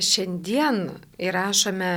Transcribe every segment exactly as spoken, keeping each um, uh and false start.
Šiandien įrašome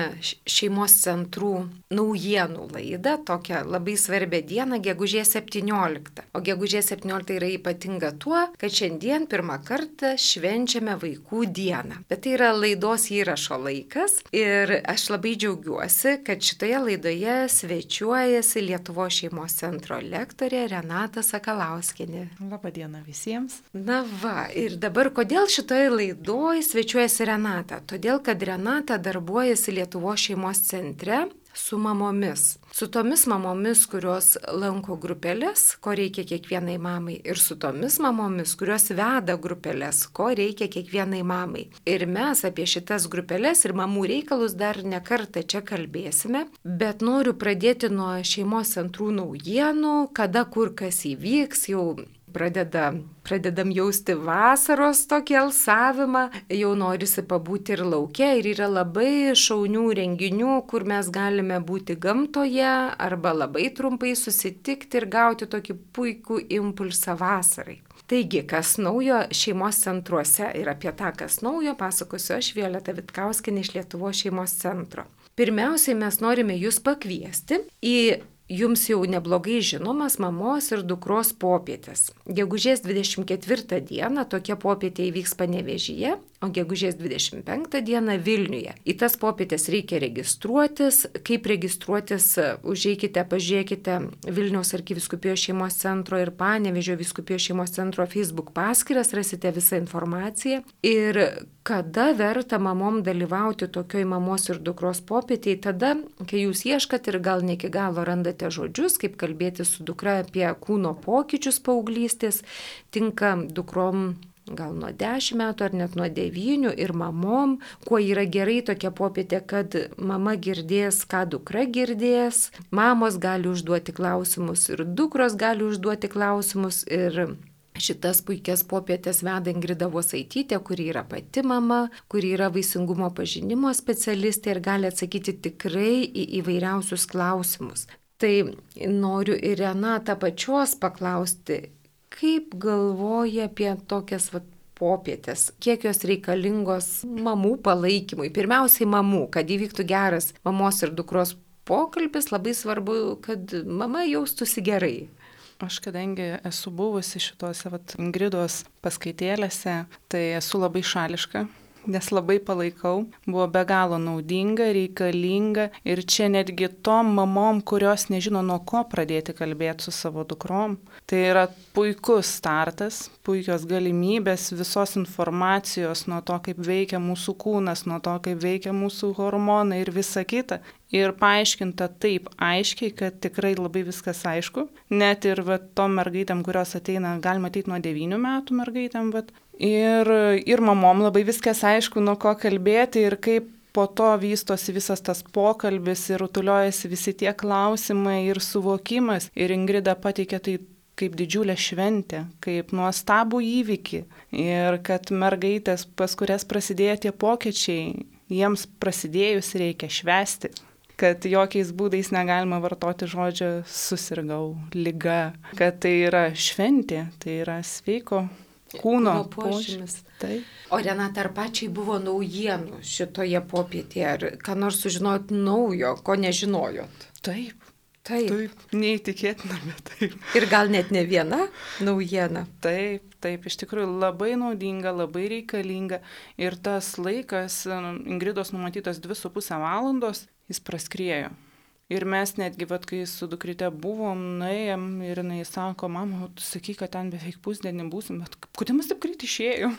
šeimos centrų naujienų laidą, tokią labai svarbią dieną, gegužės septynioliktą. O gegužės septyniolikta yra ypatinga tuo, kad šiandien pirmą kartą švenčiame vaikų dieną. Bet tai yra laidos įrašo laikas ir aš labai džiaugiuosi, kad šitoje laidoje svečiuojasi Lietuvos šeimos centro lektorė Renata Sakalauskienė. Labą dieną visiems. Na va, ir dabar kodėl šitoje laidoje svečiuojasi Renata? Todėl, kad Renata darbuojasi Lietuvos šeimos centre su mamomis. Su tomis mamomis, kurios lanko grupelės, ko reikia kiekvienai mamai, ir su tomis mamomis, kurios veda grupelės, ko reikia kiekvienai mamai. Ir mes apie šitas grupelės ir mamų reikalus dar ne kartą čia kalbėsime, bet noriu pradėti nuo šeimos centrų naujienų, kada kur kas įvyks, jau Pradeda, pradedam jausti vasaros tokį alsavimą, jau norisi pabūti ir lauke ir yra labai šaunių renginių, kur mes galime būti gamtoje arba labai trumpai susitikti ir gauti tokį puikų impulsą vasarai. Taigi, kas naujo šeimos centruose ir apie tą, kas naujo, pasakosiu aš Violeta Vitkauskienė iš Lietuvos šeimos centro. Pirmiausiai mes norime jūs pakviesti į Jums jau neblogai žinomas mamos ir dukros popietės. Gegužės dvidešimt ketvirtą dieną tokia popietė įvyks Panevėžyje, o gegužės dvidešimt penktą dieną Vilniuje. Į tas popietės reikia registruotis. Kaip registruotis, užeikite, pažiūrėkite Vilniaus arkivyskupijos šeimos centro ir Panevėžio vyskupijos šeimos centro Facebook paskyras, rasite visą informaciją. Ir kada verta mamom dalyvauti tokioj mamos ir dukros popietėje, tada, kai jūs ieškat ir gal ne iki galo randate žodžius, kaip kalbėti su dukra apie kūno pokyčius paauglystės, tinka dukrom gal nuo dešimt metų ar net nuo devynių ir mamom, kuo yra gerai tokia popietė, kad mama girdės, ką dukra girdės, mamos gali užduoti klausimus ir dukros gali užduoti klausimus ir šitas puikias popietės veda Ingrida Vosaitytė, kuri yra pati mama, kuri yra vaisingumo pažinimo specialistė ir gali atsakyti tikrai į įvairiausius klausimus. Tai noriu ir Renatą pačios paklausti, kaip galvoja apie tokias vat, popietės, kiek jos reikalingos mamų palaikymui. Pirmiausiai mamų, kad įvyktų geras mamos ir dukros pokalbis, labai svarbu, kad mama jaustųsi gerai. Aš kadangi esu buvusi šituose vat, Ingridos paskaitėlėse, tai esu labai šališka, nes labai palaikau, buvo be galo naudinga, reikalinga ir čia netgi tom mamom, kurios nežino nuo ko pradėti kalbėti su savo dukrom. Tai yra puikus startas, puikios galimybės visos informacijos nuo to, kaip veikia mūsų kūnas, nuo to, kaip veikia mūsų hormonai ir visa kita. Ir paaiškinta taip aiškiai, kad tikrai labai viskas aišku. Net ir va, tom mergaitėm, kurios ateina, galima ateiti nuo devynių metų mergaitėm, bet ir, ir mamom labai viskas aišku, nuo ko kalbėti ir kaip po to vystosi visas tas pokalbis ir rutuliojasi visi tie klausimai ir suvokimas. Ir Ingrida pateikė tai kaip didžiulę šventę, kaip nuostabų įvykį. Ir kad mergaitės, pas kurias prasidėjo tie pokyčiai, jiems prasidėjus reikia švęsti. Kad jokiais būdais negalima vartoti žodžio susirgau, liga, kad tai yra šventė, tai yra sveiko kūno požymis. O Renata, ar pačiai buvo naujienų šitoje popietėje, ar ką nors sužinojot naujo, ko nežinojot? Taip. Taip. Taip, neįtikėtina, bet taip. Ir gal net ne viena naujiena? Taip, taip, iš tikrųjų labai naudinga, labai reikalinga. Ir tas laikas, Ingridos numatytas dvi su pusę valandos, jis praskriejo. Ir mes netgi, vat, kai su dukryte buvom, nuėjom ir jinai sako, mama, tu sakai, kad ten beveik pusdienį būsim, bet kodėl mes taip greit išėjom?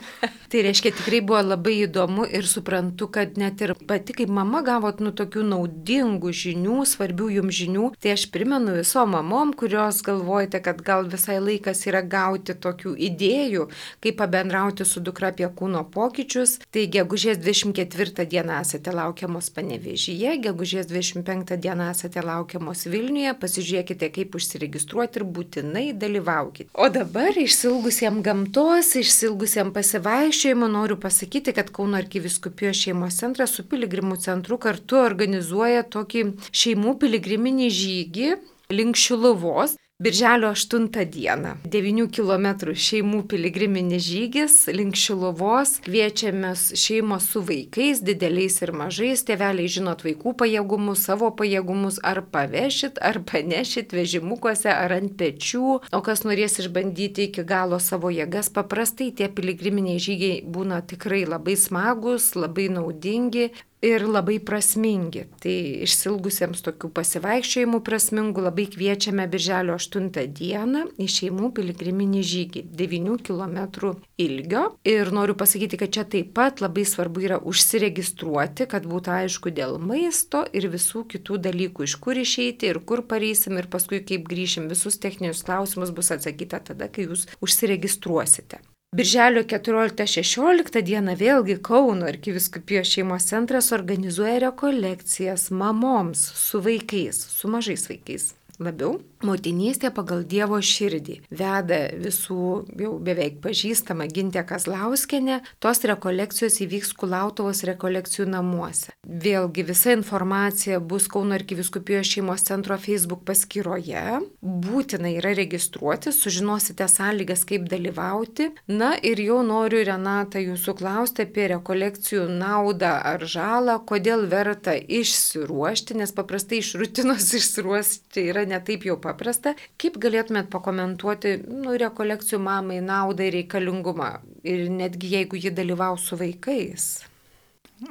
Tai reiškia, tikrai buvo labai įdomu ir suprantu, kad net ir pati kaip mama gavot nu tokių naudingų žinių, svarbių jums žinių. Tai aš primenu visom mamom, kurios galvojate, kad gal visai laikas yra gauti tokių idėjų, kaip pabendrauti su dukra apie kūno pokyčius. Tai gegužės dvidešimt ketvirtą dieną esate laukiamos Panevėžyje, gegužės dvidešimt penktą dieną esate laukiamos Vilniuje, pasižiūrėkite, kaip užsiregistruoti ir būtinai dalyvaukite. O dabar išsilgusiem gamtos, išsilgusiem pasivaiščiojimų noriu pasakyti, kad Kauno arkivyskupijos šeimos centras su piligrimų centru kartu organizuoja tokį šeimų piligriminį žygį link Šiluvos. Birželio aštuntą dieną devynių kilometrų šeimų piligriminis žygis link Šiluvos. Kviečiamės šeimos su vaikais, dideliais ir mažais. Tėveliai žinot vaikų pajėgumus, savo pajėgumus, ar pavešit, ar panešit vežimukuose, ar ant pečių. O kas norės išbandyti iki galo savo jėgas, paprastai tie piligriminiai žygiai būna tikrai labai smagus, labai naudingi ir labai prasmingi. Tai išsilgusiems tokių pasivaikščiojimų prasmingų labai kviečiame birželio aštuntą dieną į šeimų piligriminį žygį devynių kilometrų ilgio. Ir noriu pasakyti, kad čia taip pat labai svarbu yra užsiregistruoti, kad būtų aišku dėl maisto ir visų kitų dalykų, iš kur išeiti ir kur pareisim ir paskui kaip grįšim. Visus techninius klausimus bus atsakyta tada, kai jūs užsiregistruosite. Birželio keturioliktą šešioliktą dieną vėlgi Kauno arkivyskupijos šeimos centras organizuoja rekolekcijas mamoms su vaikais, su mažais vaikais. Labiau motinystė pagal Dievo širdį. Veda visų jau beveik pažįstama Gintė Kazlauskienė. Tos rekolekcijos įvyks Kulautuvos rekolekcijų namuose. Vėlgi visa informacija bus Kauno arkivyskupijos šeimos centro Facebook paskyroje. Būtina yra registruoti, sužinosite sąlygas, kaip dalyvauti. Na ir jau noriu, Renata, jūsų klausti apie rekolekcijų naudą ar žalą, kodėl verta išsiruošti, nes paprastai iš rutinos išsiruošti yra netaip jau paprasta. Kaip galėtumėt pakomentuoti nu, rekolekcijų mamai naudą ir reikalingumą ir netgi jeigu ji dalyvaus su vaikais?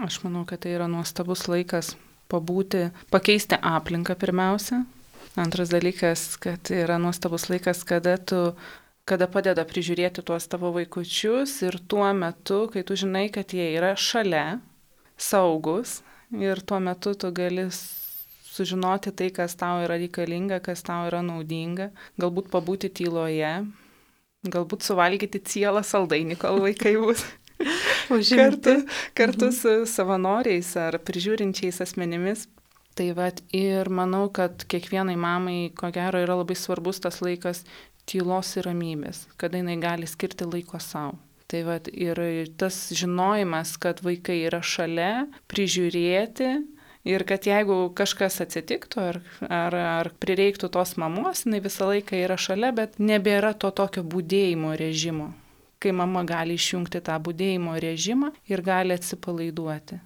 Aš manau, kad tai yra nuostabus laikas pabūti, pakeisti aplinką pirmiausia. Antras dalykas, kad yra nuostabus laikas, kada tu kada padeda prižiūrėti tuos tavo vaikučius ir tuo metu, kai tu žinai, kad jie yra šalia, saugus ir tuo metu tu gali sužinoti tai, kas tau yra reikalinga, kas tau yra naudinga, galbūt pabūti tyloje, galbūt suvalgyti cielą saldainį, kol vaikai bus kartu, kartu su savanoriais ar prižiūrinčiais asmenimis. Tai vat, ir manau, kad kiekvienai mamai, ko gero, yra labai svarbus tas laikas tylos ir ramybės, kada jinai gali skirti laiko savo. Tai vat, ir tas žinojimas, kad vaikai yra šalia, prižiūrėti, ir kad jeigu kažkas atsitiktų ar, ar, ar prireiktų tos mamos, jinai visą laiką yra šalia, bet nebėra to tokio budėjimo režimo, kai mama gali išjungti tą budėjimo režimą ir gali atsipalaiduoti.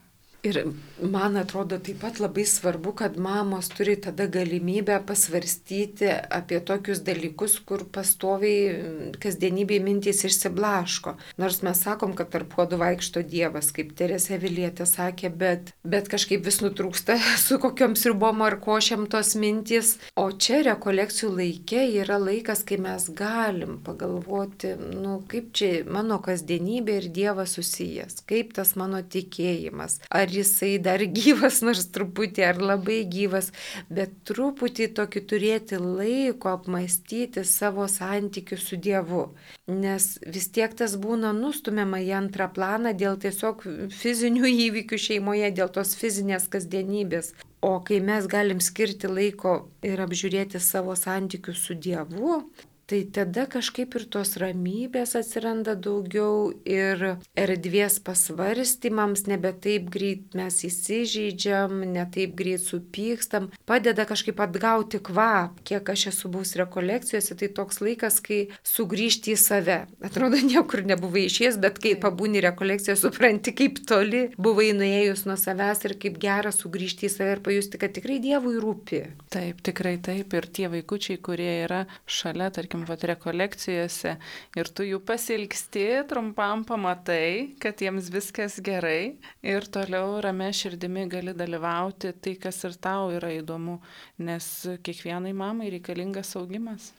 Ir man atrodo taip pat labai svarbu, kad mamos turi tada galimybę pasvarstyti apie tokius dalykus, kur pastoviai kasdienybėje mintys išsiblaško. Nors mes sakom, kad tarp puodų vaikšto Dievas, kaip Teresė Avilietė sakė, bet, bet kažkaip vis nutrūksta su kokiom sriubom ar košiam tos mintys. O čia rekolekcijų laike yra laikas, kai mes galim pagalvoti, nu kaip čia mano kasdienybė ir Dievas susijęs, kaip tas mano tikėjimas. Ar jisai dar gyvas, nors truputį, ar labai gyvas, bet truputį tokį turėti laiko apmastyti savo santykių su Dievu. Nes vis tiek tas būna nustumiama į antrą planą dėl tiesiog fizinių įvykių šeimoje, dėl tos fizinės kasdienybės. O kai mes galim skirti laiko ir apžiūrėti savo santykius su Dievu, tai tada kažkaip ir tos ramybės atsiranda daugiau ir erdvės pasvarstymams, nebe taip greit mes įsižeidžiam, ne taip greit supykstam, padeda kažkaip atgauti kvap. Kiek aš esu buvus rekolekcijose, tai toks laikas, kai sugrįžti į save. Atrodo, niekur nebuvai išėjęs, bet kai pabūni rekolekciją, supranti, kaip toli buvai nuėjus nuo savęs ir kaip gera sugrįžti į save ir pajusti, kad tikrai Dievui rūpi. Taip, tikrai taip. Ir tie vaikučiai, kurie yra šalia, tarkim, vat rekolekcijose ir tu jų pasilgsti, trumpam pamatai, kad jiems viskas gerai ir toliau ramia širdimi gali dalyvauti tai, kas ir tau yra įdomu, nes kiekvienai mamai reikalingas augimas.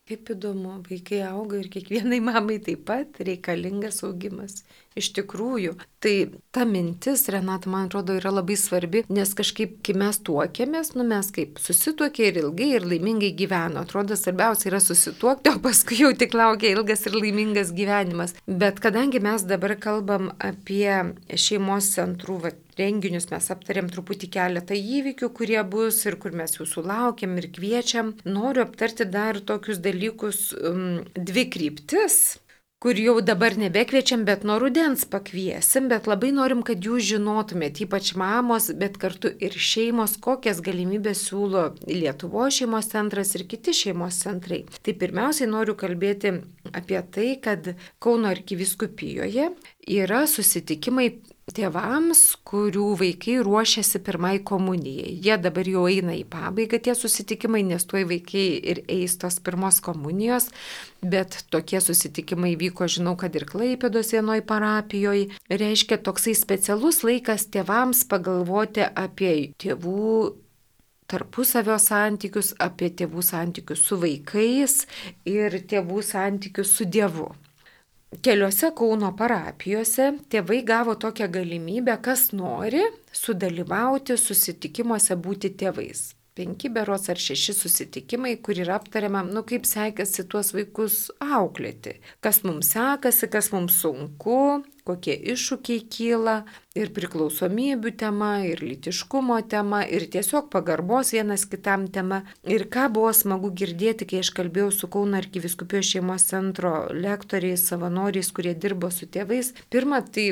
Kaip įdomu, vaikai auga ir kiekvienai mamai taip pat reikalingas augimas. Iš tikrųjų, tai ta mintis, Renata, man atrodo, yra labai svarbi, nes kažkaip, kai mes tuokėmės, nu mes kaip susituokė ir ilgai ir laimingai gyveno. Atrodo, svarbiausia yra susituokti, o paskui jau tik laukia ilgas ir laimingas gyvenimas. Bet kadangi mes dabar kalbam apie šeimos centrų va, renginius, mes aptarėm truputį keletą įvykių, kurie bus ir kur mes jūsų laukiam ir kviečiam, noriu aptarti dar tokius dalykus, um, dvi kryptis, kur jau dabar nebekviečiam, bet nuo rudens pakviesim, bet labai norim, kad jūs žinotumėt, ypač mamos, bet kartu ir šeimos, kokias galimybės siūlo Lietuvos šeimos centras ir kiti šeimos centrai. Tai pirmiausiai noriu kalbėti apie tai, kad Kauno arkivyskupijoje yra susitikimai tėvams, kurių vaikai ruošiasi pirmai komunijai. Jie dabar jau eina į pabaigą tie susitikimai, nes tuoj vaikai ir eis tos pirmos komunijos, bet tokie susitikimai vyko, žinau, kad ir Klaipėdos vienoj parapijoje. Reiškia toksai specialus laikas tėvams pagalvoti apie tėvų tarpusavio santykius, apie tėvų santykius su vaikais ir tėvų santykius su Dievu. Keliose Kauno parapijose tėvai gavo tokią galimybę, kas nori sudalyvauti susitikimuose būti tėvais. Penki berods ar šeši susitikimai, kur yra aptariama, nu kaip sekasi tuos vaikus auklėti. Kas mums sekasi, kas mums sunku, kokie iššūkiai kyla, ir priklausomybių tema, ir lytiškumo tema, ir tiesiog pagarbos vienas kitam tema. Ir ką buvo smagu girdėti, kai aš kalbėjau su Kauno arkivyskupijos šeimos centro lektoriais, savanoriais, kurie dirbo su tėvais. Pirma, tai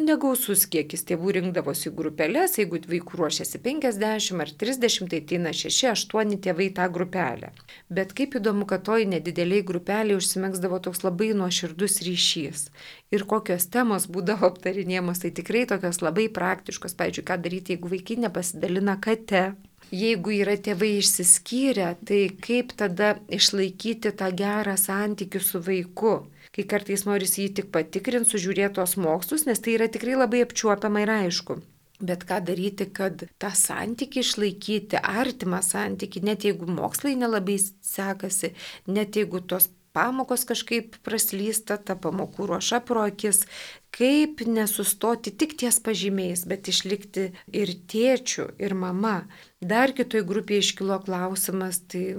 negausus kiekis tėvų rinkdavosi į grupelės, jeigu vaikų ruošiasi penkiasdešimt ar trisdešimt, tai ateina šeši aštuoni tėvai tą grupelę. Bet kaip įdomu, kad toj nedideliai grupeliai užsimegzdavo toks labai nuoširdus ryšys. Ir kokios temos būdavo aptarinėjamos, tai tikrai tokios labai praktiškos. Pavyzdžiui, ką daryti, jeigu vaikai nepasidalina kate. Jeigu yra tėvai išsiskyrę, tai kaip tada išlaikyti tą gerą santykių su vaiku. Kai kartais norisi jį tik patikrinti, sužiūrėti tos mokslus, nes tai yra tikrai labai apčiuopiama ir aišku. Bet ką daryti, kad tą santykį išlaikyti, artimą santykį, net jeigu mokslai nelabai sekasi, net jeigu tos pamokos kažkaip praslysta, ta pamokų ruoša pro akis, kaip nesustoti tik ties pažymiais, bet išlikti ir tėčiu, ir mama. Dar kitoj grupėje iškilo klausimas, tai,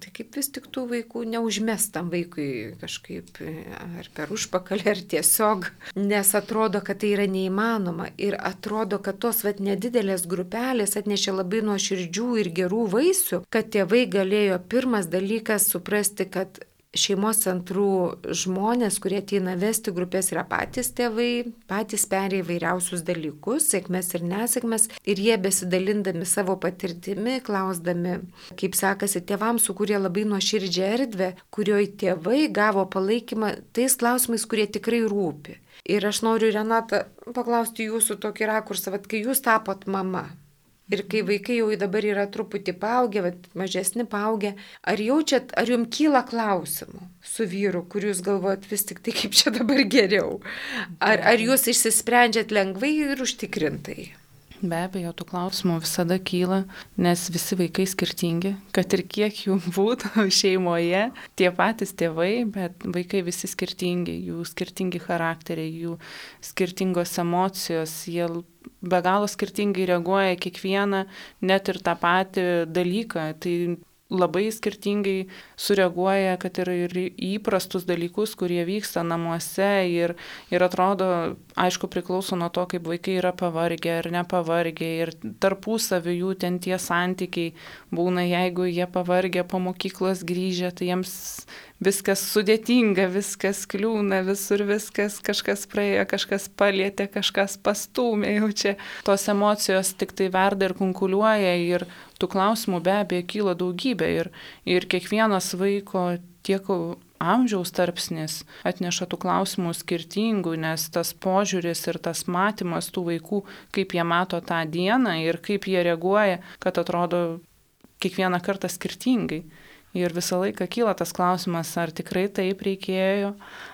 tai kaip vis tik tų vaikų neužmestam vaikui kažkaip ar per užpakalį, ar tiesiog, nes atrodo, kad tai yra neįmanoma ir atrodo, kad tos vat nedidelės grupelės atnešė labai nuoširdžių ir gerų vaisių, kad tėvai galėjo pirmas dalykas suprasti, kad šeimos centrų žmonės, kurie ateina vesti grupės, yra patys tėvai, patys perėję įvairiausius dalykus, sėkmės ir nesėkmės, ir jie besidalindami savo patirtimi, klausdami, kaip sekasi tėvams, sukūrė labai nuoširdžią erdvę, kurioje tėvai gavo palaikymą tais klausimais, kurie tikrai rūpi. Ir aš noriu, Renata, paklausti jūsų tokį rakursą, kad kai jūs tapot mama, ir kai vaikai jau dabar yra truputį paaugę, mažesni paaugę, ar jaučiat, ar jums kyla klausimų su vyru, kur jūs galvojat vis tik tai kaip čia dabar geriau? Ar, ar jūs išsisprendžiat lengvai ir užtikrintai? Be abejo, tų klausimų visada kyla, nes visi vaikai skirtingi, kad ir kiek jų būtų šeimoje, tie patys tėvai, bet vaikai visi skirtingi, jų skirtingi charakteriai, jų skirtingos emocijos, jie be galo skirtingai reaguoja kiekvieną, net ir tą patį dalyką. Tai labai skirtingai sureaguoja, kad ir, ir įprastus dalykus, kurie vyksta namuose ir, ir atrodo, aišku, priklauso nuo to, kaip vaikai yra pavargę ar nepavargę ir tarpusavį jų ten tie santykiai būna, jeigu jie pavargę po mokyklos grįžę, tai jiems viskas sudėtinga, viskas kliūna, visur viskas, kažkas praėjo, kažkas palietė, kažkas pastūmė, jau čia tos emocijos tik tai verda ir kunkuliuoja ir tų klausimų be abejo kyla daugybė ir, ir kiekvienas vaiko tiek amžiaus tarpsnis atneša tų klausimų skirtingų, nes tas požiūris ir tas matymas tų vaikų, kaip jie mato tą dieną ir kaip jie reaguoja, kad atrodo kiekvieną kartą skirtingai. Ir visą laiką kyla tas klausimas, ar tikrai taip reikėjo,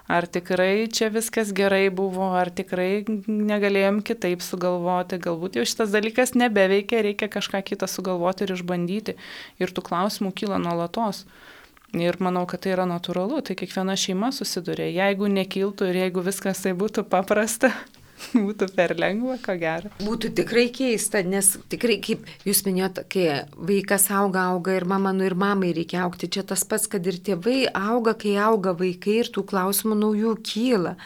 ar tikrai čia viskas gerai buvo, ar tikrai negalėjom kitaip sugalvoti, galbūt jau šitas dalykas nebeveikia, reikia kažką kitą sugalvoti ir išbandyti. Ir tų klausimų kyla nuolatos. Ir manau, kad tai yra natūralu, tai kiekviena šeima susiduria. Jeigu nekiltų ir jeigu viskas tai būtų paprasta, būtų per lengva, ko gero. Būtų tikrai keista, nes tikrai, kaip jūs minėjote, kai vaikas auga, auga ir mama, nu ir mamai reikia augti. Čia tas pats, kad ir tėvai auga, kai auga vaikai ir tų klausimų naujų kyla.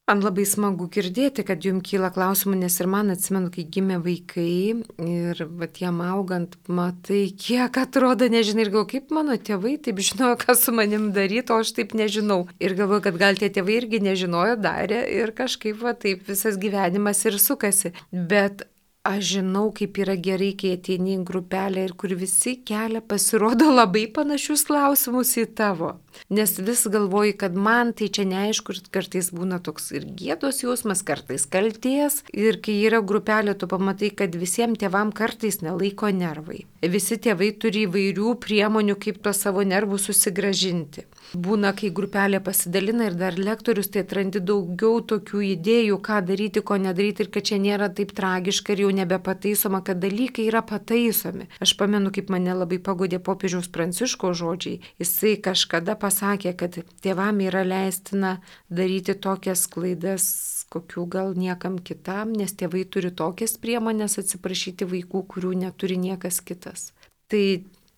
Man labai smagu girdėti, kad jums kyla klausimų, nes ir man atsimenu, kai gimė vaikai ir vat, jam augant, matai, kiek atrodo, nežinai, ir galvoju, kaip mano tėvai taip žinojo, ką su manim daryti, o aš taip nežinau. Ir galvoju, kad gal tie tėvai irgi nežinojo, darė ir kažkaip va, taip visas gyvenimas ir sukasi. Bet aš žinau, kaip yra gerai, kai ateini į grupelę ir kur visi kelia pasirodo labai panašius klausimus į tavo. Nes vis galvoji, kad man tai čia neaišku, ir kartais būna toks ir gėdos jausmas, kartais kalties. Ir kai yra grupelė, tu pamatai, kad visiems tėvam kartais nelaiko nervai. Visi tėvai turi įvairių priemonių, kaip to savo nervus susigražinti. Būna, kai grupelė pasidalina ir dar lektorius, tai atrandi daugiau tokių idėjų, ką daryti, ko nedaryti ir kad čia nėra taip tragiška ir jau nebepataisoma, kad dalykai yra pataisomi. Aš pamenu, kaip mane labai pagodė popiežiaus Pranciškaus žodžiai. Jisai kažkada pasakė, kad tėvam yra leistina daryti tokias klaidas, kokių gal niekam kitam, nes tėvai turi tokias priemonės atsiprašyti vaikų, kurių neturi niekas kitas. Tai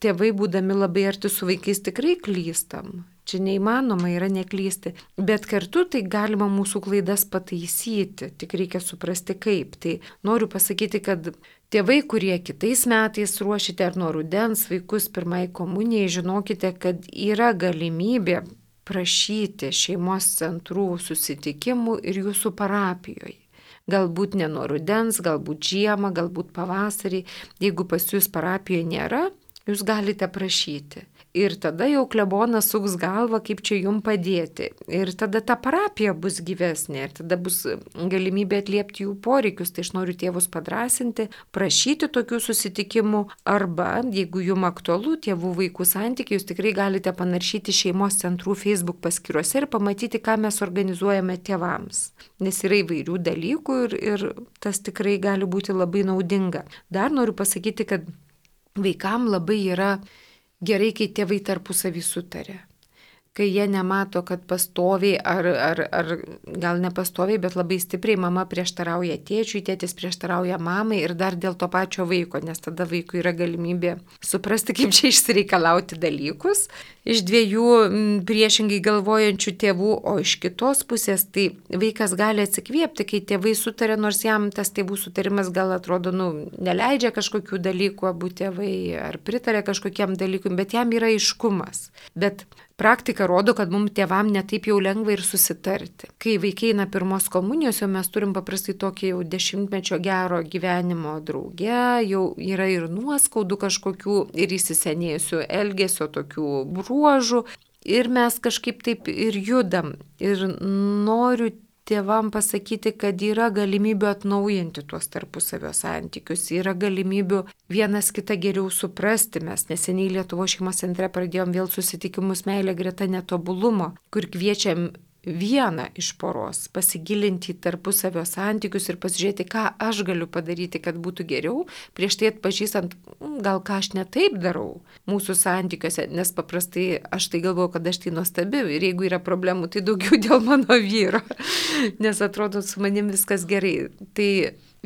tėvai, būdami labai arti su vaikais, tikrai klystam. Čia neįmanoma yra neklysti, bet kartu tai galima mūsų klaidas pataisyti, tik reikia suprasti kaip. Tai noriu pasakyti, kad tėvai, kurie kitais metais ruošite ar nuo rudens vaikus pirmai komunijai, žinokite, kad yra galimybė prašyti šeimos centrų susitikimų ir jūsų parapijoje. Galbūt ne nuo rudens, galbūt žiemą, galbūt pavasarį. Jeigu pas jūs parapijoje nėra, jūs galite prašyti. Ir tada jau klebonas suks galvą, kaip čia jum padėti. Ir tada ta parapija bus gyvesnė. Ir tada bus galimybė atliepti jų poreikius. Tai aš noriu tėvus padrasinti, prašyti tokių susitikimų. Arba, jeigu jum aktualu tėvų vaikų santykiai, jūs tikrai galite panaršyti šeimos centrų Facebook paskyruose ir pamatyti, ką mes organizuojame tėvams. Nes yra įvairių dalykų ir, ir tas tikrai gali būti labai naudinga. Dar noriu pasakyti, kad vaikam labai yra gerai, kai tėvai tarpusavį sutarė. Kai jie nemato, kad pastoviai, ar, ar, ar gal ne pastoviai, bet labai stipriai mama prieštarauja tėčiui, tėtis prieštarauja mamai ir dar dėl to pačio vaiko, nes tada vaikui yra galimybė suprasti, kaip čia išsireikalauti dalykus iš dviejų priešingai galvojančių tėvų, o iš kitos pusės tai vaikas gali atsikvėpti, kai tėvai sutarė, nors jam tas tėvų sutarimas gal atrodo, nu, neleidžia kažkokių dalykų, abu tėvai ar pritarė kažkokiam dalykui, bet jam yra aiškumas. Bet praktika rodo, kad mums tėvam netaip jau lengva ir susitarti. Kai vaikai eina pirmos komunijos, jau mes turim paprastai tokį jau dešimtmečio gero gyvenimo drauge, jau yra ir nuoskaudų kažkokių ir įsisenėjusių elgesio tokių bruožų ir mes kažkaip taip ir judam. Ir noriu tėvam pasakyti, kad yra galimybių atnaujinti tuos tarpusavio santykius, yra galimybių vienas kitą geriau suprasti. Mes neseniai Lietuvos šeimos centre pradėjom vėl susitikimus Meilė greta netobulumo, kur kviečiam vieną iš poros pasigilinti į tarpusavio santykius ir pasižiūrėti, ką aš galiu padaryti, kad būtų geriau, prieš tai atpažįstant, gal ką aš ne taip darau mūsų santykiuose, nes paprastai aš tai galvoju, kad aš tai nuostabi ir jeigu yra problemų, tai daugiau dėl mano vyro, nes atrodo su manim viskas gerai. Tai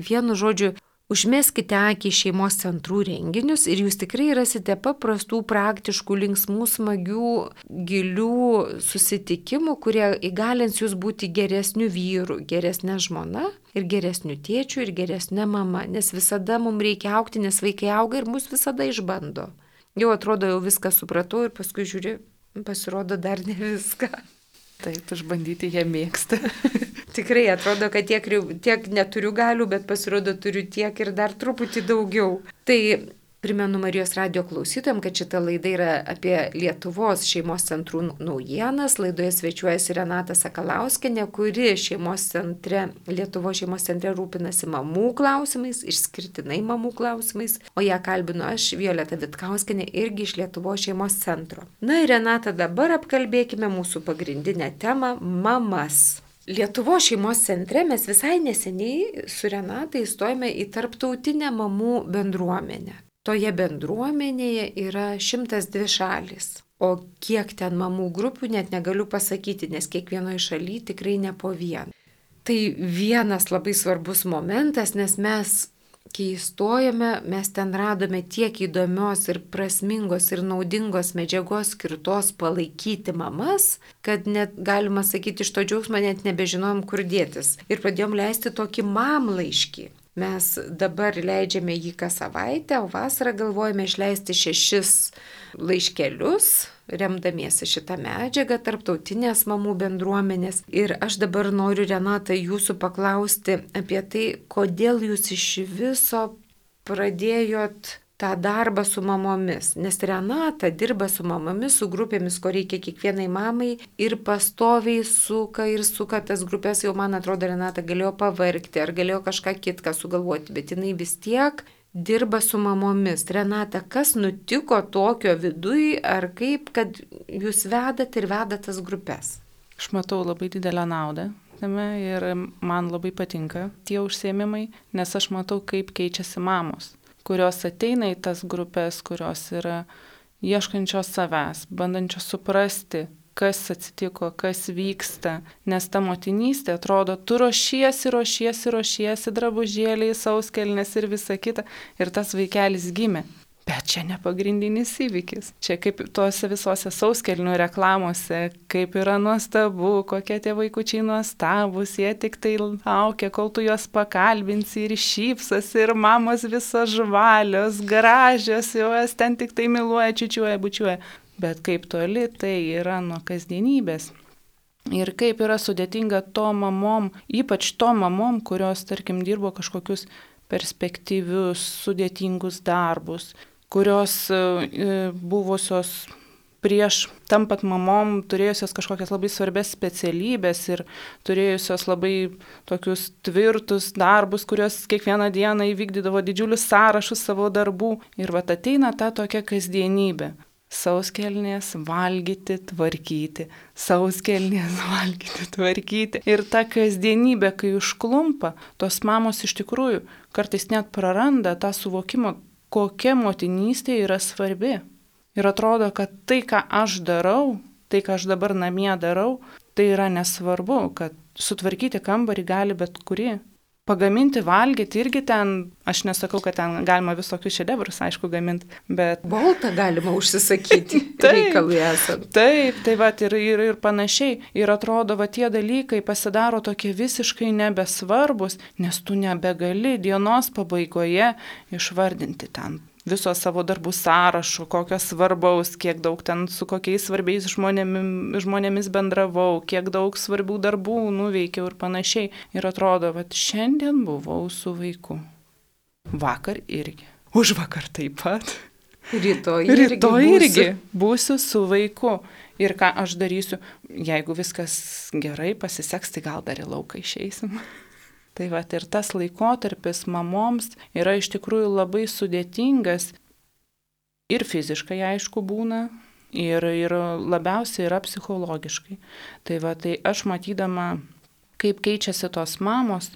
vienu žodžiu, užmeskite akį į šeimos centrų renginius ir jūs tikrai rasite paprastų, praktiškų, linksmų, smagių, gilių susitikimų, kurie įgalins jūs būti geresniu vyru, geresnė žmona ir geresniu tėčiu ir geresnė mama. Nes visada mums reikia augti, nes vaikai auga ir mus visada išbando. Jau atrodo, jau viską supratau ir paskui žiūri, pasirodo dar ne viską. Taip, išbandyti jie mėgsta. Tikrai atrodo, kad tiek, tiek neturiu galių, bet pasirodo turiu tiek ir dar truputį daugiau. Tai primenu Marijos radijo klausytojams, kad šita laida yra apie Lietuvos šeimos centrų naujienas. Laidoje svečiuojasi Renata Sakalauskienė, kuri šeimos centre, Lietuvos šeimos centre rūpinasi mamų klausimais, išskirtinai mamų klausimais, o ją kalbinu aš, Violeta Vitkauskienė, irgi iš Lietuvos šeimos centro. Na ir Renata, dabar apkalbėkime mūsų pagrindinę temą – mamas. Lietuvos šeimos centre mes visai neseniai su Renata įstojame į tarptautinę mamų bendruomenę. Toje bendruomenėje yra šimtas dvi šalys, o kiek ten mamų grupių net negaliu pasakyti, nes kiekvienoje šalyje tikrai ne po vieną. Tai vienas labai svarbus momentas, nes mes kai įstojome, mes ten radome tiek įdomios ir prasmingos ir naudingos medžiagos skirtos palaikyti mamas, kad net galima sakyti, iš to džiaugsmo net nebežinojom, kur dėtis. Ir pradėjom leisti tokį mamlaiškį. Mes dabar leidžiame jį kas savaitę, o vasarą galvojame išleisti šešis laiškelius, remdamiesi šitą medžiagą tarptautinės mamų bendruomenės. Ir aš dabar noriu, Renata, jūsų paklausti apie tai, kodėl jūs iš viso pradėjot tą darbą su mamomis. Nes Renata dirba su mamomis, su grupėmis, ko reikia kiekvienai mamai ir pastoviai suka ir suka tas grupės. Jau, man atrodo, Renata galėjo pavargti ar galėjo kažką kitką sugalvoti, bet jinai vis tiek dirba su mamomis. Renata, kas nutiko tokio viduj, ar kaip, kad jūs vedat ir vedat tas grupės? Aš matau labai didelę naudą tame ir man labai patinka tie užsiėmimai, nes aš matau, kaip keičiasi mamos, kurios ateina į tas grupės, kurios yra ieškančios savęs, bandančios suprasti, kas atsitiko, kas vyksta, nes ta motinystė atrodo, tu ruošiesi, ruošiesi, ruošiesi, drabužėliai, sauskelnės ir visa kita, ir tas vaikelis gimė. Bet čia ne pagrindinis įvykis. Čia kaip tuose visose sauskelnių reklamose, kaip yra nuostabu, kokie tie vaikučiai nuostabus, jie tik tai laukia, kol tu juos pakalbinsi ir šypsasi, ir mamos visos žvalios, gražios, jos ten tik tai myluoja, čiučiuoja, bučiuoja. Bet kaip toli tai yra nuo kasdienybės. Ir kaip yra sudėtinga to mamom, ypač to mamom, kurios, tarkim, dirbo kažkokius perspektyvius, sudėtingus darbus, kurios e, buvusios prieš tampat mamom, turėjusios kažkokias labai svarbias specialybės ir turėjusios labai tokius tvirtus darbus, kurios kiekvieną dieną įvykdydavo didžiulius sąrašus savo darbų. Ir vat ateina ta tokia kasdienybė. Sauskelnės valgyti, tvarkyti, sauskelnės valgyti, tvarkyti. Ir ta kasdienybė, kai užklumpa, tos mamos iš tikrųjų kartais net praranda tą suvokimą, kokia motinystė yra svarbi. Ir atrodo, kad tai, ką aš darau, tai, ką aš dabar namie darau, tai yra nesvarbu, kad sutvarkyti kambarį gali bet kuri. Pagaminti, valgyti irgi ten, aš nesakau, kad ten galima visokius šedevrus, aišku, gaminti, bet... Boltą galima užsisakyti reikalui esant. Taip, tai va, ir, ir, ir panašiai. Ir atrodo, va, tie dalykai pasidaro tokie visiškai nebesvarbus, nes tu nebegali dienos pabaigoje išvardinti ten viso savo darbų sąrašo, kokios svarbaus, kiek daug ten su kokiais svarbiais žmonėmis, žmonėmis bendravau, kiek daug svarbių darbų nuveikiau ir panašiai. Ir atrodo, kad šiandien buvau su vaiku. Vakar irgi. Užvakar taip pat. Rytoj irgi, Rytoj būsiu. irgi būsiu su vaiku. Ir ką aš darysiu, jeigu viskas gerai pasiseks, tai gal dar į lauką išeisim. Tai va, ir tas laikotarpis mamoms yra iš tikrųjų labai sudėtingas ir fiziškai, aišku, būna, ir, ir labiausiai yra psichologiškai. Tai va, tai aš matydama, kaip keičiasi tos mamos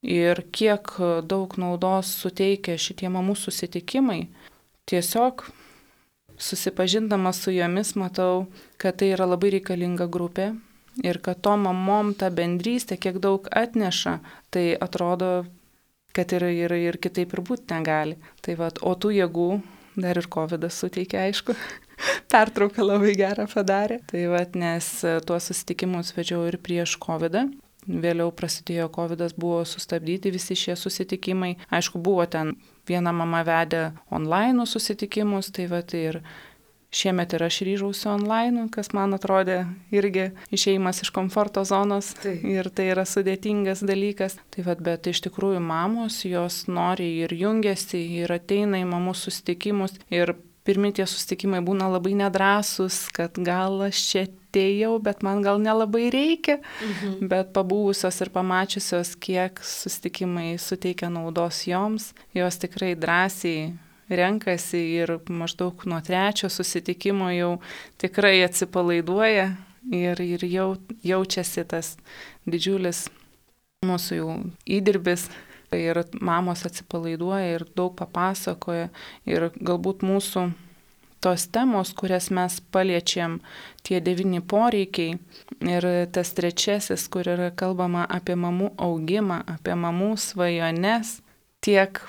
ir kiek daug naudos suteikia šitie mamų susitikimai, tiesiog susipažindama su jomis matau, kad tai yra labai reikalinga grupė. Ir kad to mamom ta bendrystė kiek daug atneša, tai atrodo, kad ir, ir, ir kitaip ir būti negali. Tai va, o tų jėgų dar ir kovidas suteikia, aišku. Pertrauką labai gerą padarė. Tai va, nes tuos susitikimus vedžiau ir prieš kovidą. Vėliau prasidėjo kovidas, buvo sustabdyti visi šie susitikimai. Aišku, buvo ten viena mama vedė online susitikimus, tai va, tai ir šiemet ir aš ryžausi online, kas man atrodė irgi išėjimas iš komforto zonos. Tai. Ir tai yra sudėtingas dalykas. Tai vad, bet iš tikrųjų mamos, jos nori ir jungiasi, ir ateina į mamų susitikimus. Ir pirmi tie susitikimai būna labai nedrąsus, kad gal aš čia atėjau, bet man gal nelabai reikia. Mhm. Bet pabūvusios ir pamačiusios, kiek susitikimai suteikia naudos joms, jos tikrai drąsiai renkasi ir maždaug nuo trečio susitikimo jau tikrai atsipalaiduoja ir, ir jau, jaučiasi tas didžiulis mūsų jau įdirbis. Ir mamos atsipalaiduoja ir daug papasakoja. Ir galbūt mūsų tos temos, kurias mes paliečiam, tie devyni poreikiai ir tas trečiasis, kur yra kalbama apie mamų augimą, apie mamų svajones, tiek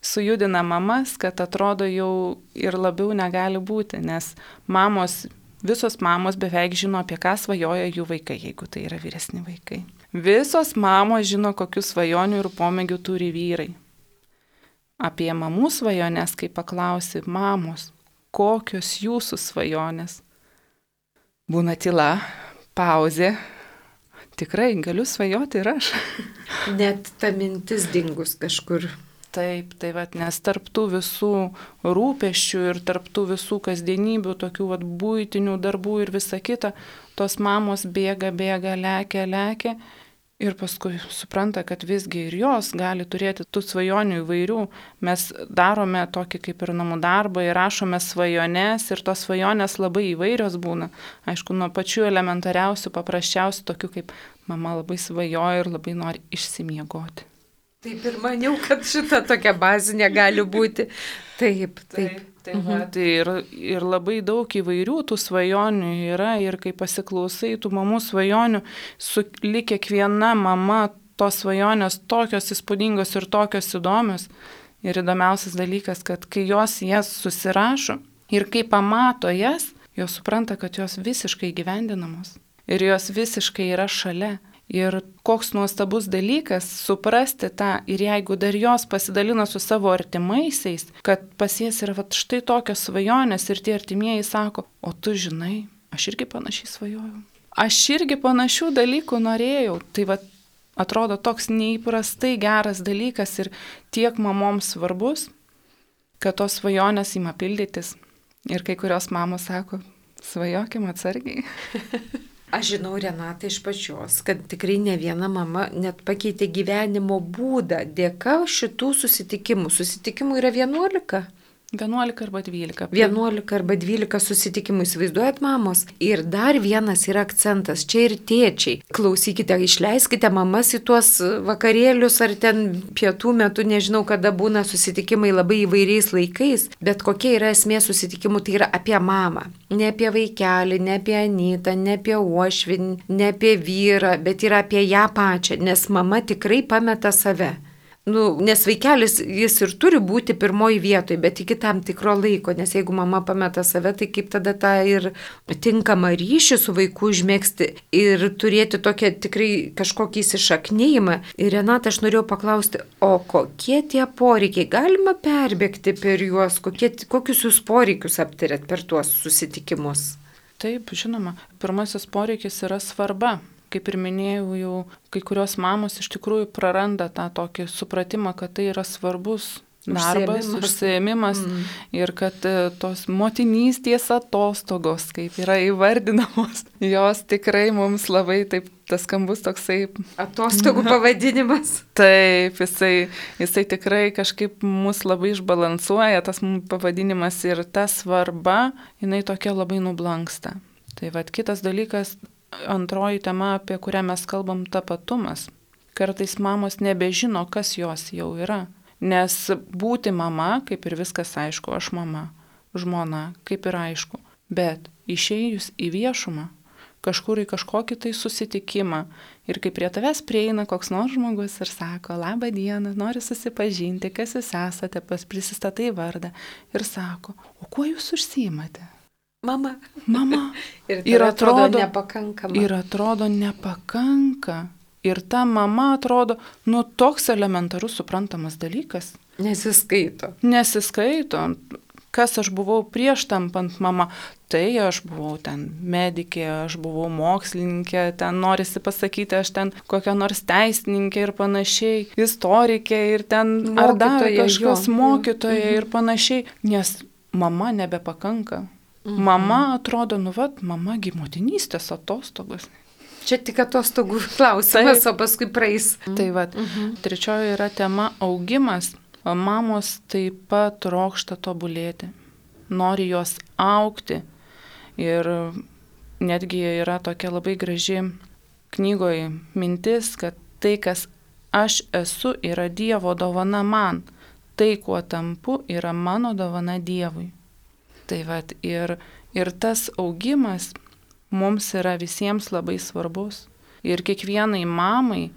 sujudina mamas, kad atrodo jau ir labiau negali būti, nes mamos, visos mamos beveik žino, apie ką svajoja jų vaikai, jeigu tai yra vyresni vaikai. Visos mamos žino, kokių svajonių ir pomėgių turi vyrai. Apie mamų svajonės, kai paklausi, mamos, kokios jūsų svajonės? Būna tyla, pauzė. Tikrai galiu svajoti ir aš. Net ta mintis dingus kažkur. Taip, tai vat, nes tarptų visų rūpesčių ir tarptų visų kasdienybių, tokių vat, buitinių darbų ir visa kita, tos mamos bėga, bėga, lekia, lekia ir paskui supranta, kad visgi ir jos gali turėti tų svajonių įvairių. Mes darome tokį kaip ir namų darbą ir rašome svajones ir tos svajonės labai įvairios būna. Aišku, nuo pačių elementariausių, paprasčiausių, tokių kaip mama labai svajoja ir labai nori išsimiegoti. Taip ir maniau, kad šita tokia bazinė gali būti. Taip, taip. taip, taip mhm. va, tai ir, ir labai daug įvairių tų svajonių yra ir kai pasiklausai tų mamų svajonių, su lyg kiekviena mama tos svajonės tokios įspūdingos ir tokios įdomios. Ir įdomiausias dalykas, kad kai jos jas susirašo ir kai pamato jas, jos supranta, kad jos visiškai gyvendinamos. Ir jos visiškai yra šalia. Ir koks nuostabus dalykas suprasti tą, ir jeigu dar jos pasidalina su savo artimaisiais, kad pas jas yra vat, štai tokios svajonės ir tie artimieji sako, o tu žinai, aš irgi panašiai svajojau. Aš irgi panašių dalykų norėjau. Tai vat, atrodo toks neįprastai geras dalykas ir tiek mamoms svarbus, kad tos svajonės ima pildytis. Ir kai kurios mamos sako, svajokim atsargiai. Aš žinau, Renata, iš pačios, kad tikrai ne viena mama net pakeitė gyvenimo būdą dėka šitų susitikimų. Susitikimų yra vienuolika. vienuolika arba dvylika. vienuolika arba dvylika susitikimų, įsivaizduojat, mamos. Ir dar vienas yra akcentas, čia ir tėčiai. Klausykite, išleiskite mamas į tuos vakarėlius ar ten pietų metu, nežinau, kada būna susitikimai labai įvairiais laikais, bet kokia yra esmė susitikimų, tai yra apie mamą. Ne apie vaikelį, ne apie Anytą, ne apie uošvį, ne apie vyrą, bet yra apie ją pačią, nes mama tikrai pameta save. Nu, nes vaikelis jis ir turi būti pirmoji vietoje, bet iki tam tikro laiko, nes jeigu mama pameta save, tai kaip tada tą ir tinkamą ryšį su vaiku užmėgsti ir turėti tokią tikrai kažkokį įsišaknėjimą. Ir Renata, aš norėjau paklausti, o kokie tie poreikiai, galima perbėgti per juos, kokie, kokius jūs poreikius aptarėt per tuos susitikimus? Taip, žinoma, pirmasis poreikis yra svarba. Kaip ir minėjau, jau kai kurios mamos iš tikrųjų praranda tą tokį supratimą, kad tai yra svarbus darbas, užsiėmimas, užsiėmimas mm. ir kad tos motinystės atostogos, kaip yra įvardinamos, jos tikrai mums labai taip, tas skambus toksai... Atostogų pavadinimas. Taip, jisai, jisai tikrai kažkaip mus labai išbalansuoja, tas pavadinimas ir ta svarba, jinai tokia labai nublanksta. Tai vat kitas dalykas, antroji tema, apie kurią mes kalbam, tapatumas. Kartais mamos nebežino, kas jos jau yra. Nes būti mama, kaip ir viskas aišku, aš mama, žmona, kaip ir aišku. Bet išėjus į viešumą, kažkur į kažkokį tai susitikimą ir kai prie tavęs prieina koks nors žmogus ir sako, labą dieną, noriu susipažinti, kas jūs esate, pas prisistatai vardą ir sako, o kuo jūs užsiimate? Mama. Mama. ir, ir atrodo, atrodo nepakankama. Ir atrodo nepakanka. Ir ta mama atrodo, nu, toks elementarus suprantamas dalykas. Nesiskaito. Nesiskaito. Kas aš buvau prieš tampant mama? Tai aš buvau ten medikė, aš buvau mokslininkė, ten norisi pasakyti, aš ten kokia nors teisininkė ir panašiai, istorikė ir ten mokytoja, ar dar kažkas jo, mokytoja jo. Ir panašiai. Nes mama nebepakanka. Mhm. Mama atrodo, nu vat, mama gi motinystės atostogos. Čia tik atostogų klausimas, o paskui praeis. Tai vat, mhm. trečioji yra tema augimas. Mamos taip pat trokšta tobulėti, nori jos augti. Ir netgi yra tokia labai graži knygoje mintis, kad tai, kas aš esu, yra Dievo dovana man. Tai, kuo tampu, yra mano dovana Dievui. Tai vat, ir, ir tas augimas mums yra visiems labai svarbus. Ir kiekvienai mamai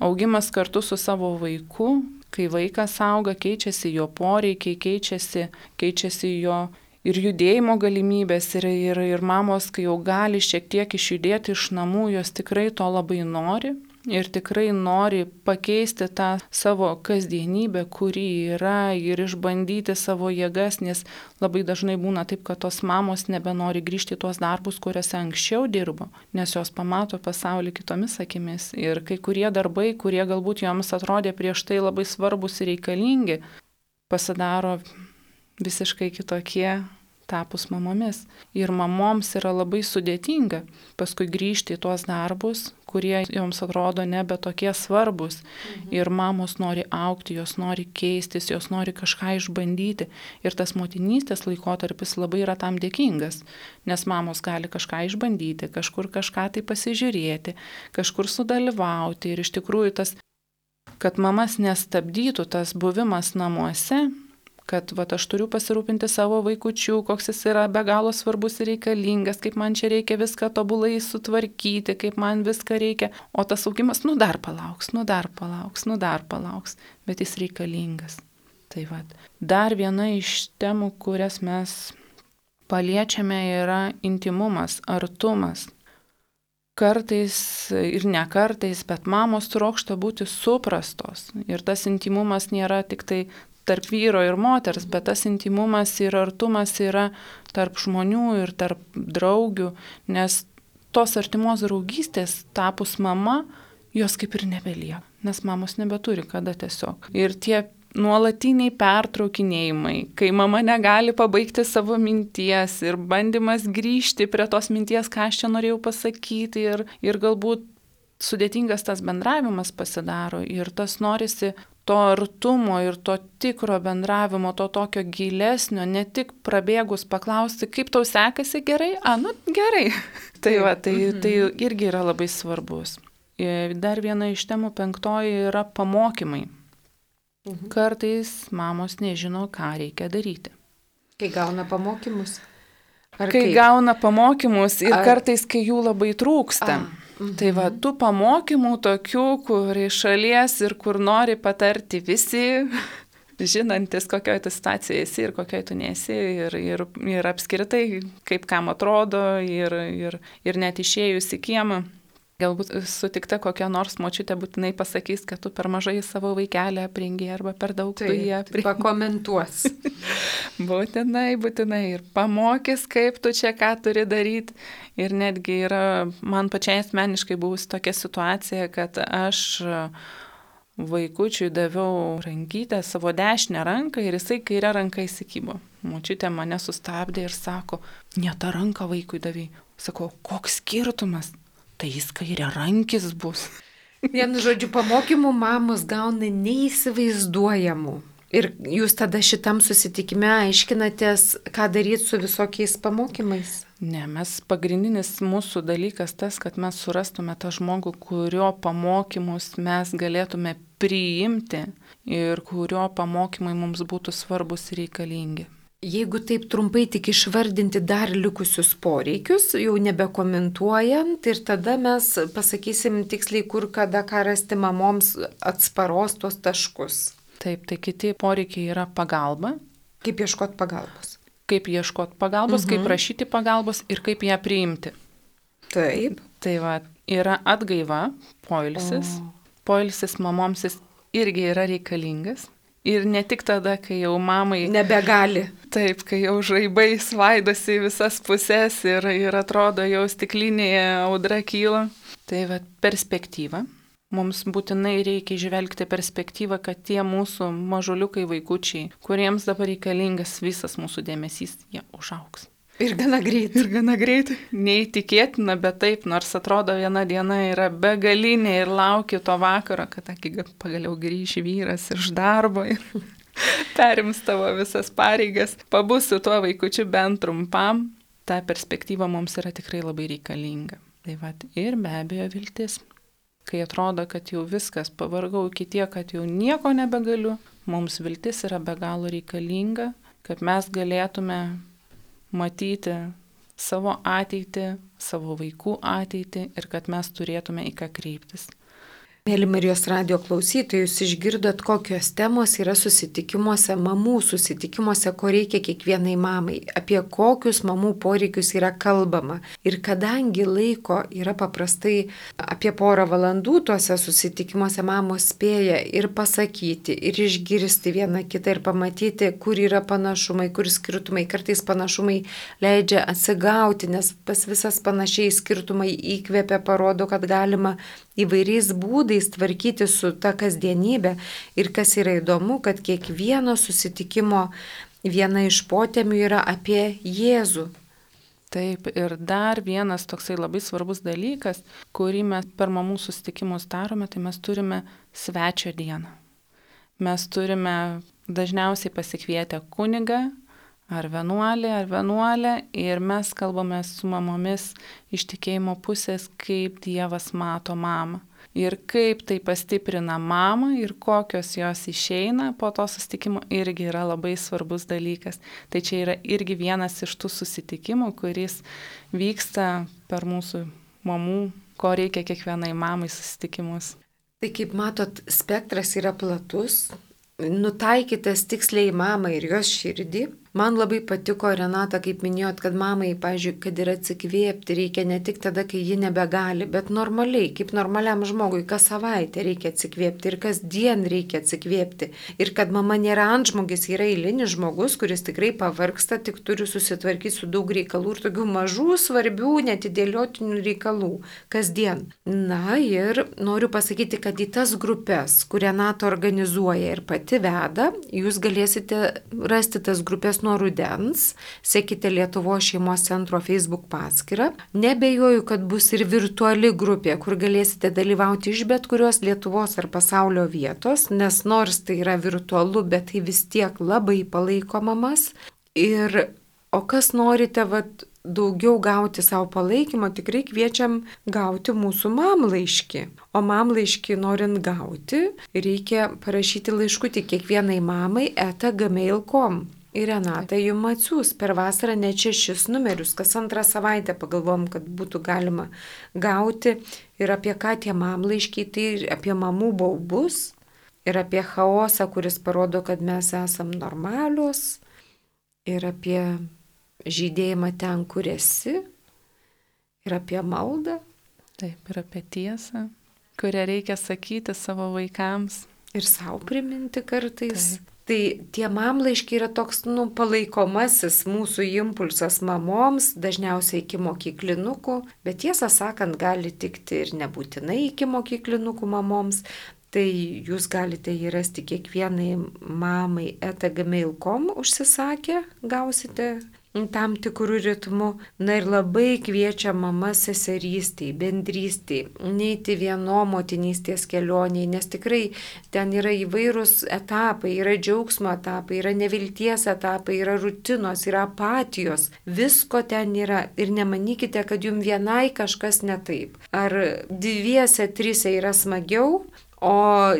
augimas kartu su savo vaiku, Kai vaikas auga, keičiasi jo poreikiai, keičiasi, keičiasi jo ir judėjimo galimybės, ir, ir, ir mamos, kai jau gali šiek tiek išjudėti iš namų, jos tikrai to labai nori. Ir tikrai nori pakeisti tą savo kasdienybę, kuri yra, ir išbandyti savo jėgas, nes labai dažnai būna taip, kad tos mamos nebenori grįžti į tuos darbus, kuriuose anksčiau dirbo, nes jos pamato pasaulį kitomis akimis. Ir kai kurie darbai, kurie galbūt joms atrodė prieš tai labai svarbus ir reikalingi, pasidaro visiškai kitokie tapus mamomis. Ir mamoms yra labai sudėtinga paskui grįžti į tuos darbus, kurie joms atrodo nebe tokie svarbus. Mhm. Ir mamos nori augti, jos nori keistis, jos nori kažką išbandyti. Ir tas motinystės laikotarpis labai yra tam dėkingas, nes mamos gali kažką išbandyti, kažkur kažką tai pasižiūrėti, kažkur sudalyvauti. Ir iš tikrųjų tas, kad mamas nestabdytų tas buvimas namuose, kad vat, aš turiu pasirūpinti savo vaikučiu, koks jis yra be galo svarbus ir reikalingas, kaip man čia reikia viską tobulai sutvarkyti, kaip man viską reikia. O tas augimas, nu dar palauks, nu dar palauks, nu dar palauks, bet jis reikalingas. Tai vat. Dar viena iš temų, kurias mes paliečiame, yra intimumas, artumas. Kartais ir ne kartais, bet mamos trokšta būti suprastos. Ir tas intimumas nėra tik tai tarp vyro ir moters, bet tas intimumas ir artumas yra tarp žmonių ir tarp draugių, nes tos artimos draugystės tapus mama, jos kaip ir nebelieka, nes mamos nebeturi kada tiesiog. Ir tie nuolatiniai pertraukinėjimai, kai mama negali pabaigti savo minties ir bandymas grįžti prie tos minties, ką aš čia norėjau pasakyti, ir, ir galbūt sudėtingas tas bendravimas pasidaro, ir tas norisi to artumo ir to tikro bendravimo, to tokio gilesnio, ne tik prabėgus paklausti, kaip tau sekasi, gerai, a, nu gerai. tai, va, tai, tai irgi yra labai svarbus. Ir dar viena iš temų, penktoji, yra pamokymai. Mhm. Kartais mamos nežino, ką reikia daryti. Kai gauna pamokymus? Ar kai kaip? gauna pamokymus ir Ar... kartais, kai jų labai trūksta. A. Mhm. Tai va, tų pamokymų tokių, kur iš šalies ir kur nori patarti visi, žinantis, kokioje tu situacijoje esi ir kokioje tu nesi, ir, ir, ir apskritai, kaip kam atrodo, ir, ir, ir net išėjus į kiemą. Galbūt sutikta kokia nors močiutė būtinai pasakys, kad tu per mažai savo vaikelę aprengi arba per daug tai, tu jį aprengi. Pakomentuos. būtinai, būtinai. Ir pamokys, kaip tu čia ką turi daryti. Ir netgi yra man pačiai asmeniškai buvusi tokia situacija, kad aš vaikučiui daviau rankytę, savo dešinę ranką, ir jisai kairę ranką įsikybo. Močiutė mane sustabdė ir sako, ne tą ranką vaikui davei. Sakau, koks skirtumas? Tai jis kairė rankis bus. Vienu žodžiu, pamokymų mamos gauna neįsivaizduojamų. Ir jūs tada šitam susitikime aiškinatės, ką daryti su visokiais pamokymais? Ne, mes pagrindinis mūsų dalykas tas, kad mes surastume tą žmogų, kurio pamokymus mes galėtume priimti ir kurio pamokymai mums būtų svarbus ir reikalingi. Jeigu taip trumpai tik išvardinti dar likusius poreikius, jau nebekomentuojant, ir tada mes pasakysim tiksliai, kur kada ką rasti mamoms atsparos tuos taškus. Taip, tai kiti poreikiai yra pagalba. Kaip ieškoti pagalbos? Kaip ieškoti pagalbos, mhm. kaip prašyti pagalbos ir kaip ją priimti. Taip. Tai va, yra atgaiva, poilsis. O. Poilsis mamoms jis irgi yra reikalingas. Ir ne tik tada, kai jau mamai nebegali. Taip, kai jau žaibai svaidosi į visas pusės ir, ir atrodo jau stiklinėje audra kyla. Tai va, perspektyva. Mums būtinai reikia žvelgti perspektyvą, kad tie mūsų mažuliukai vaikučiai, kuriems dabar reikalingas visas mūsų dėmesys, jie užaugs. Ir gana greitai. Ir gana greitai. Neįtikėtina, bet taip, nors atrodo viena diena yra begalinė ir lauki to vakaro, kad pagaliau grįši vyras iš darbo ir perims tavo visas pareigas. Pabūsiu tuo vaikučiu bent trumpam. Ta perspektyva mums yra tikrai labai reikalinga. Tai va, ir be abejo viltis. Kai atrodo, kad jau viskas, pavargau iki tiek, kad jau nieko nebegaliu, mums viltis yra be galo reikalinga, kad mes galėtume matyti savo ateitį, savo vaikų ateitį ir kad mes turėtume į ką kreiptis. Mėly Marijos radio klausytojai, jūs išgirdot, kokios temos yra susitikimuose, mamų susitikimuose, ko reikia kiekvienai mamai, apie kokius mamų poreikius yra kalbama. Ir kadangi laiko yra paprastai apie porą valandų tuose susitikimuose, mamos spėja ir pasakyti, ir išgirsti vieną kitą, ir pamatyti, kur yra panašumai, kur skirtumai. Kartais panašumai leidžia atsigauti, nes pas visas panašiai skirtumai įkvėpia, parodo, kad galima įvairiais būdais tvarkyti su ta kasdienybė. Ir kas yra įdomu, kad kiekvieno susitikimo viena iš potemių yra apie Jėzų. Taip, ir dar vienas toksai labai svarbus dalykas, kurį mes per mamų susitikimus darome, tai mes turime svečio dieną. Mes turime dažniausiai pasikvietę kunigą, ar vienuolį, ar vienuolę, ir mes kalbame su mamomis iš tikėjimo pusės, kaip Dievas mato mamą. Ir kaip tai pastiprina mamą ir kokios jos išeina po to susitikimo irgi yra labai svarbus dalykas. Tai čia yra irgi vienas iš tų susitikimų, kuris vyksta per mūsų mamų, ko reikia kiekvienai mamai susitikimus. Tai kaip matot, spektras yra platus, nutaikytas tiksliai mamai ir jos širdį. Man labai patiko, Renata, kaip minėjot, kad mamai, pavyzdžiui, kad ir atsikvėpti reikia ne tik tada, kai ji nebegali, bet normaliai, kaip normaliam žmogui, kas savaitę reikia atsikvėpti ir kas dien reikia atsikvėpti. Ir kad mama nėra antžmogis, yra eilinis žmogus, kuris tikrai pavargsta, tik turi susitvarkyti su daug reikalų ir tokių mažų, svarbių, netidėliotinų reikalų kasdien. Na ir noriu pasakyti, kad į tas grupės, kur Renata organizuoja ir pati veda, jūs galėsite rasti tas grupės nuo rudens, sekite Lietuvos šeimos centro Facebook paskyrą. Nebejoju, kad bus ir virtuali grupė, kur galėsite dalyvauti iš bet kurios Lietuvos ar pasaulio vietos, nes nors tai yra virtualu, bet tai vis tiek labai palaiko mamas. Ir, o kas norite, vat, daugiau gauti savo palaikymo, tikrai kviečiam gauti mūsų mamlaiškį. O mamlaiškį norint gauti, reikia parašyti laiškutį kiekvienai mamai eta gmail taškas com. Ir Renata jums atsiūs per vasarą net šešis numerius, kas antrą savaitę pagalvom, kad būtų galima gauti. Ir apie ką tie mamlaiškiai, tai ir apie mamų baubus, ir apie chaosą, kuris parodo, kad mes esam normalios, ir apie žydėjimą ten, kur esi, ir apie maldą. Taip, ir apie tiesą, kurią reikia sakyti savo vaikams. Ir savo priminti kartais. Taip. Tai tie mamlaiškiai yra toks, nu, palaikomasis mūsų impulsas mamoms, dažniausiai iki mokyklinukų, bet tiesą sakant, gali tikti ir nebūtinai iki mokyklinukų mamoms. Tai jūs galite jį rasti kiekvienai mamai eta gmail taškas com užsisakę, gausite tam tikrų ritmų. Na ir labai kviečia mama seserystiai, bendrystiai, neiti vieno motinystės kelioniai, nes tikrai ten yra įvairūs etapai, yra džiaugsmo etapai, yra nevilties etapai, yra rutinos, yra apatijos, visko ten yra. Ir nemanykite, kad jums vienai kažkas ne taip. Ar dviese, trise yra smagiau, o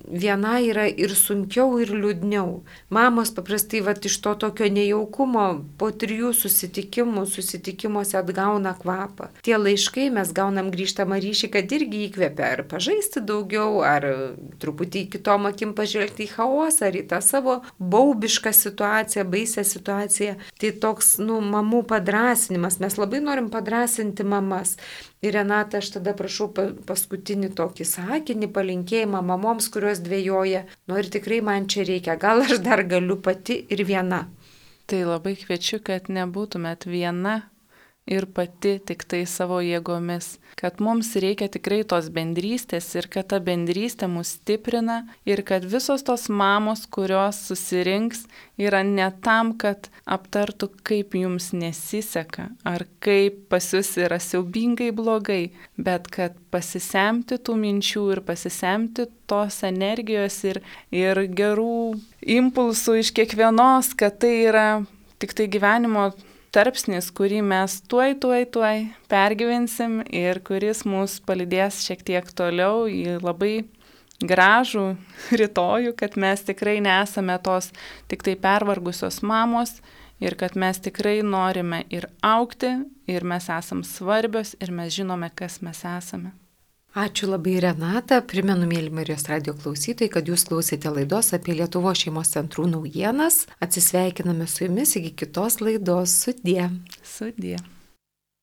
viena yra ir sunkiau, ir liūdniau. Mamos paprastai vat, iš to tokio nejaukumo po trijų susitikimų, susitikimuose atgauna kvapą. Tie laiškai mes gaunam grįžtamą ryšį, kad irgi įkvepia ar pažaisti daugiau, ar truputį kitom akim pažvelgti į chaosą, ar į tą savo baubišką situaciją, baisią situaciją. Tai toks, nu, mamų padrasinimas. Mes labai norim padrasinti mamas. Ir Renata, aš tada prašau paskutinį tokį sakinį, palinkėjimą mamoms, kurios dvejoja. Nu ir tikrai man čia reikia, gal aš dar galiu pati ir viena. Tai labai kviečiu, kad nebūtumėt viena ir pati tik tai savo jėgomis, kad mums reikia tikrai tos bendrystės ir kad ta bendrystė mus stiprina ir kad visos tos mamos, kurios susirinks, yra ne tam, kad aptartų, kaip jums nesiseka ar kaip pas jūs yra siaubingai blogai, bet kad pasisemti tų minčių ir pasisemti tos energijos ir, ir gerų impulsų iš kiekvienos, kad tai yra tik tai gyvenimo tarpsnis, kurį mes tuoj, tuoj, tuoj pergyvensim ir kuris mus palydės šiek tiek toliau į labai gražų rytojų, kad mes tikrai nesame tos tik tai pervargusios mamos ir kad mes tikrai norime ir augti, ir mes esam svarbios, ir mes žinome, kas mes esame. Ačiū labai, Renata. Primenu, mėly Marijos radijo klausytojai, kad jūs klausėte laidos apie Lietuvos šeimos centrų naujienas. Atsisveikiname su jumis iki kitos laidos. Sudie. Sudie.